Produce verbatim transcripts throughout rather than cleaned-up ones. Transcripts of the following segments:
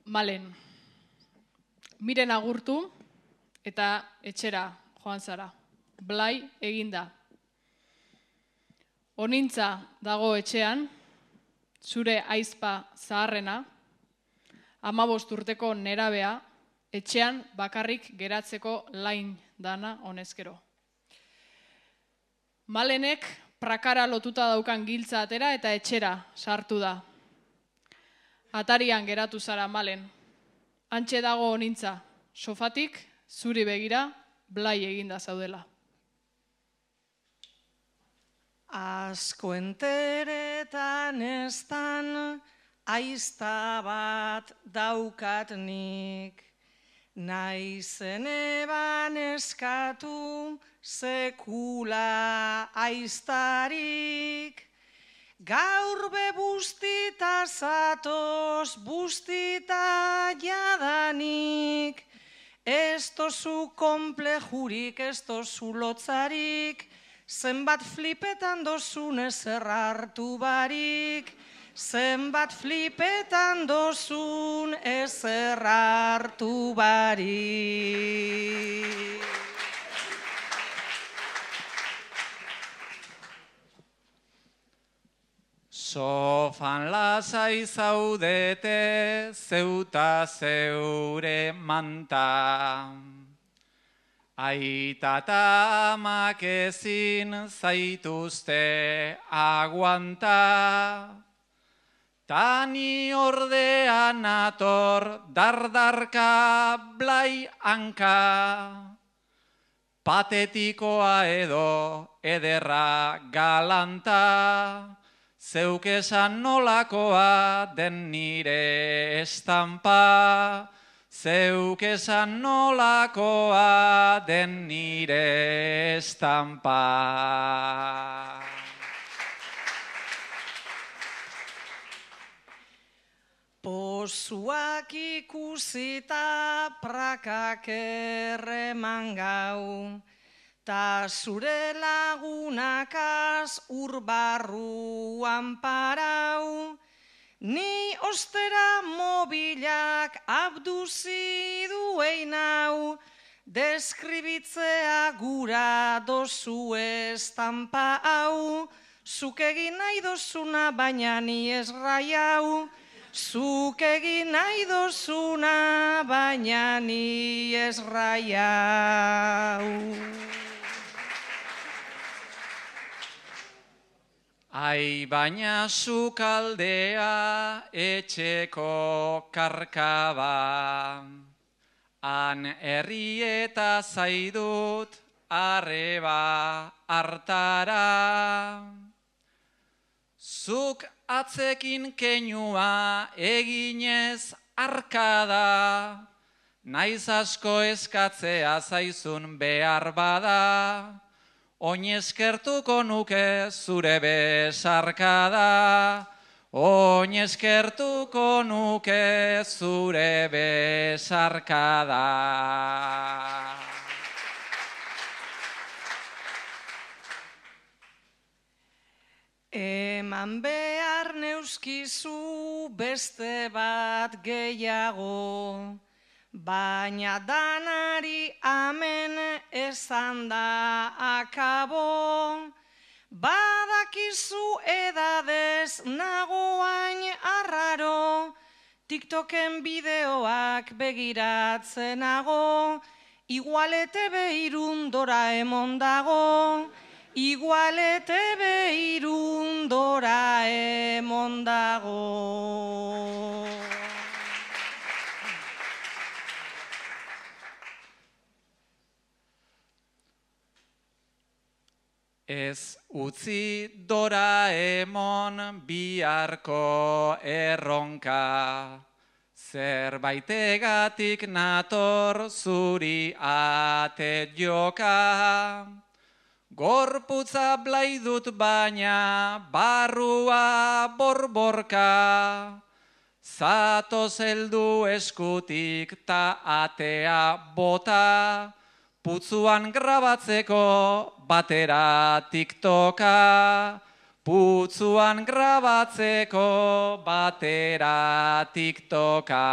Malen, miren agurtu eta etxera joan zara. Blai eginda. Onintza dago etxean, zure aizpa zaharrena, hamabost urteko nerabea, etxean bakarrik geratzeko lain dana honezkero. Malenek prakara lotuta daukan giltza atera eta etxera sartu da. Atarian geratu zara, Malen. Hantxe dago onintza, sofatik, zuri begira, blai eginda zaudela. Asko enteretan eztan, aizta bat daukat nik. Naizen eban eskatu, sekula aiztarik. Gaur be bustita zatoz, bustita jadanik. Ez tozu komplejurik, ez tozu lotzarik, zenbat flipetan dozun ezer hartu barik. Zenbat flipetan dozun ezer hartu barik. Sofan lasai zaudete, zeuta zeure manta. Aita eta amak ezin zaituzte aguanta. Tani ordean nator dardarka blai hanka. Patetikoa edo ederra galanta. Zeuk esan nolakoa den nire estampa, zeuk esan nolakoa den nire estampa. Pozuak ikusita prakak erreman gau, ta zure lagunakaz urbarruan parau, ni ostera mobilak abduzi duein hau, deskribitzea gura dozu estampa hau, zuk egin nahi dozuna baina ni ez raiau, zuk egin nahi dozuna baina ni ez raiau. Ai, baina sukaldea etxeko karkaba, han herrieta zaidut arreba hartara. Zuk atzekin keinua eginez arkada, naiz asko eskatzea zaizun behar bada, oinezkertuko nuke zure besarkada, oinezkertuko nuke zure besarkada. Eman behar neuskizu beste bat gehiago, baina danari amen esan da akabo. Badakizu edadez nagoain arraro, TikToken bideoak begiratzen-ago, igualete behirun Doraemon dago, igualete behirun Doraemon dago. Ez utzi Doraemon biharko erronka, zerbaitegatik nator zuri ate joka. Gorputza blai dut baina barrua borborka, zatoz heldu eskutik ta atea bota, putzuan grabatzeko batera TikToka, putzuan grabatzeko batera TikToka.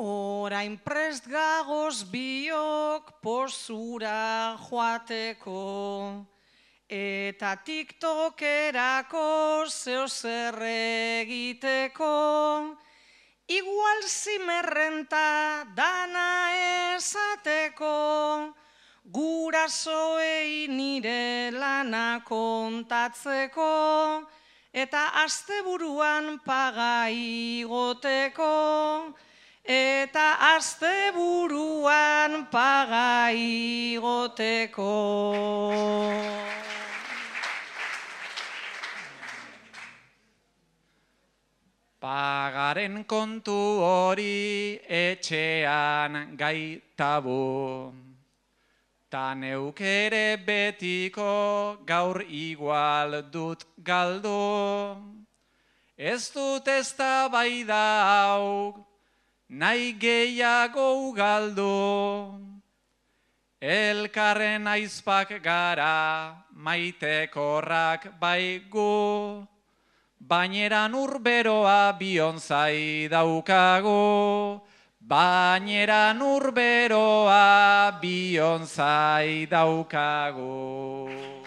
Orain prest gagoz biok posura joateko, eta TikTokerako zeo zer egiteko, igual zimerrenta dana esateko, gurasoei nire lana kontatzeko, eta asteburuan paga igoteko, eta asteburuan paga igoteko. Pagaren kontu hori etxean gaitabu, ta neuk ere betiko gaur igual dut galdu. Ez dut eztabaida hau nahi gehiago galdu, elkarren aizpak gara maitekorrak baigu, baineran urberoa bionzai daukagu, baineran urberoa bionzai daukagu.